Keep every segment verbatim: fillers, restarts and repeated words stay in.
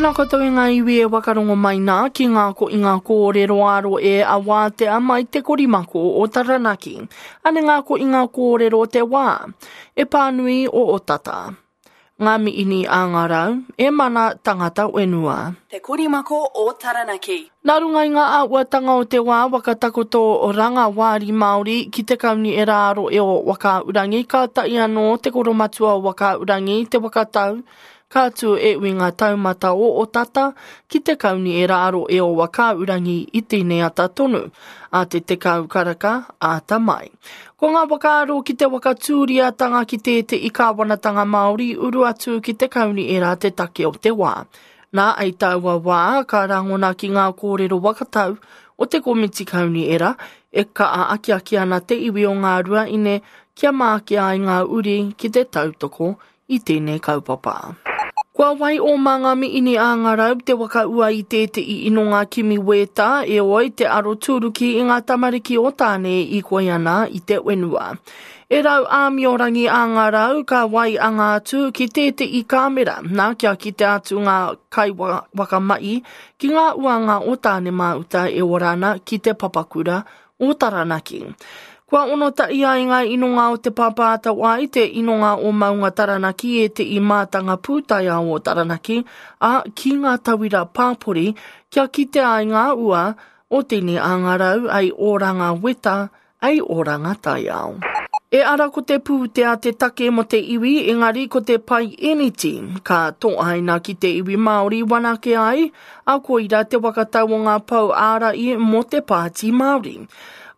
Tēnā koutou e ngā iwi e wakarongo mai nā ki ngā ko i ngā kōrero aro e a wātea mai te korimako o Taranaki. Ane ngā ko i ngā kōrero te wā, e pānui o Otata. Ngā miini a ngā rau, e mana tangata wenua. Te korimako o Taranaki. Nā runga i ngā āhuatanga o te wā wakatakoto ranga wāri Māori ki te kauni e rāro e o Wakaaurangi, ka tahi anō te koromatua o Wakaaurangi, te wakatau, ka tū e ui ngā taumata o Otata ki te kauni e rāro e o Wakaaurangi i tēnei ata tonu, a te tekau karaka āta mai. Ko ngā whakaaro ki te wakatūriatanga ki tēte i kāwanatanga Māori uru atu ki te kauni e rā te take o te wā. Nā ei taua wā ka rangona ki ngā kōrero wakatau o te komiti kauni era e kaa akiaki ana te iwi o ngā rua ine kia māke ai ngā uri ki te tautoko i tēnei kaupapa. Kua wai o mā miini a ngā rau te waka ua i tēte i ino ngā kimi wētā e oi te aro tūruki i ngā tamariki o tāne i koi ana i te wenua. E rau āmiorangi a ngā rau ka wai a ngā tū ki tēte i kāmera, nā kia ki te atu ngā kai wakamai ki ngā uanga o tāne māuta e orana ki te papakura o Taranaki. Kua ono ta ia i ngā inonga o te pāpāta wai, te inonga o Maunga Taranaki e te i mātanga pūtaia o Taranaki, a ki ngā tawira pāpori, kia kite ai ngā ua o tēnei āngarau ai oranga weta, ai oranga taiao. E ara ko te pūtea te take mo te iwi, engari ko te pai eniti, ka tōaina ki te iwi Māori wanake ai, a koira te wakatau o ngā pau ārai mo te pāti Māori.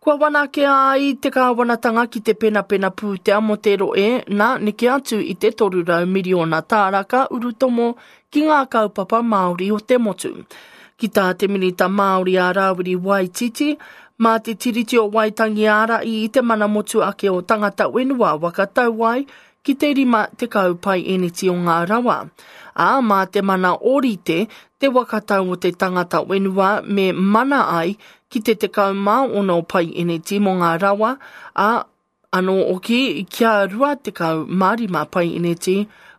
Kua wanake ai te kāwanatanga ki te penapena pūtea mo te roe, nā neke atu i te toru rau miriona tāraka urutomo ki ngā kaupapa Māori o te motu. Ki tā te Minita Māori a Rāwiri Waititi, mā te Tiriti o Waitangi ārai i te mana motu ake o tangata wenua wakatau ai ki te rima te kaupai eniti o ngā rawa. Ā, mā te mana orite, te wakatau o te tangata wenua me mana ai ki te tekau mā ono pai eneti mō ngā rawa, ā, anō oki kia rua tekau mā rima pai eneti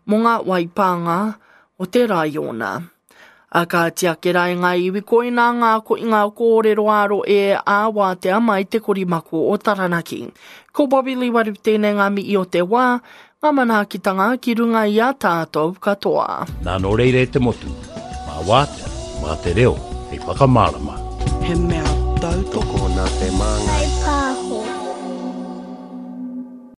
mō ngā waipānga o te raiona. A ka tiake rai ngā iwi koina ngā ko i ngā kōrero aro e a wātea mai te korimako o Taranaki. Ko Bobby Lee Waru tēnei ngā mihi o te wā, ngā manaakitanga ki runga i a tātou katoa. Nā nō reire te motu, mā wātea, mā te reo, hei whakamārama. He mea tautoko Tokona te māngai. Kai pāho.